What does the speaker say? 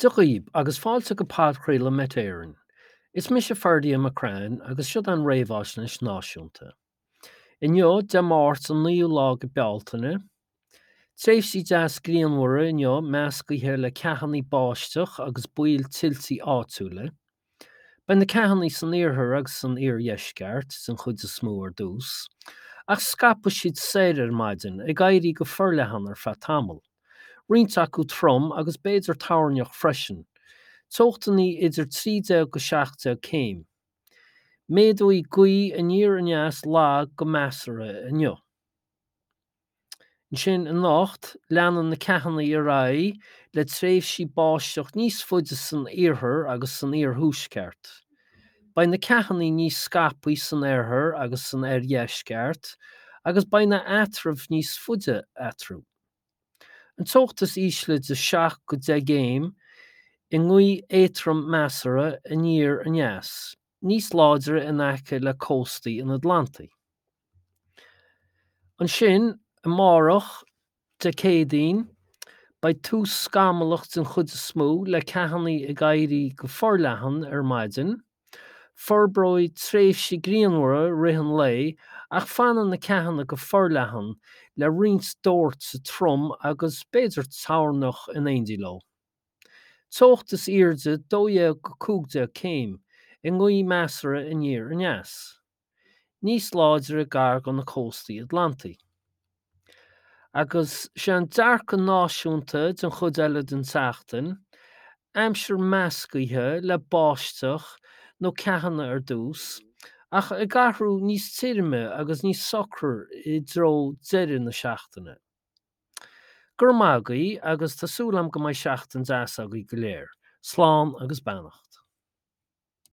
Dia dhaoib, agus fáilte go podchraoladh Met Éireann. Is mise Ferdia McCrann agus siod an réamhaisnéis náisiúnta. Inniu, Dé Máirt an 9ú lá go Bealtaine. Tréimhsí deas grianmhara inniu meascaithe le ceathanna báisteach agus baol tuiltí áitiúla. Beidh na ceathanna san iarthar agus san iardheisceart den chuid is mó ar dtús, ach scaipfidh siad soir ar maidin, ag éirí go forleathan ar feadh tamaill. Roinnt acu trom agus b'fhéidir toirneach freisin. Teochtanna idir 13-17 céim. Méadóidh gaoth aniar aneas lag go measartha inniu. Ansin anocht, leanann na ceathanna ar aghaidh le tréimhsí báisteach níos faide san iarthar agus san iarthuaisceart. Beidh na ceathanna níos scaipthe san oirthear agus san oirdheisceart agus beidh na eatraimh níos faide eatarthu. An teocht is ísle de 7 go 10 gcéim i ngaoth éadrom measartha aniar aneas, níos láidre in aice le cóstaí an Atlantaigh. Ansin, amárach, Dé Céadaoin, beidh tús scamallach den chuid is mó le ceathanna ag éirí go forleathan ar maidin. Forbróidh tréimhsí grianmhara i rith an lae ach fanfaidh na ceathanna go forleathan le roinnt dóirte trom agus b'fhéidir toirneach in éindí leo. Teocht is airde 12-15 céim, i ngaoth measartha aniar aneas. níos láidre gar do na cóstaí Atlantaí. Agus sé an dearcadh náisiúnta den chuid eile den tseachtain, aimsir meascaithe le báisteach nó ceathanna ar dtús, ach ag athrú níos tirime agus níos socra i dtreo deireadh na seachtaine. Go raibh maith agaibh agus tá súil agam go mbeidh seachtain deas agaibh go léir. Slán agus beannacht.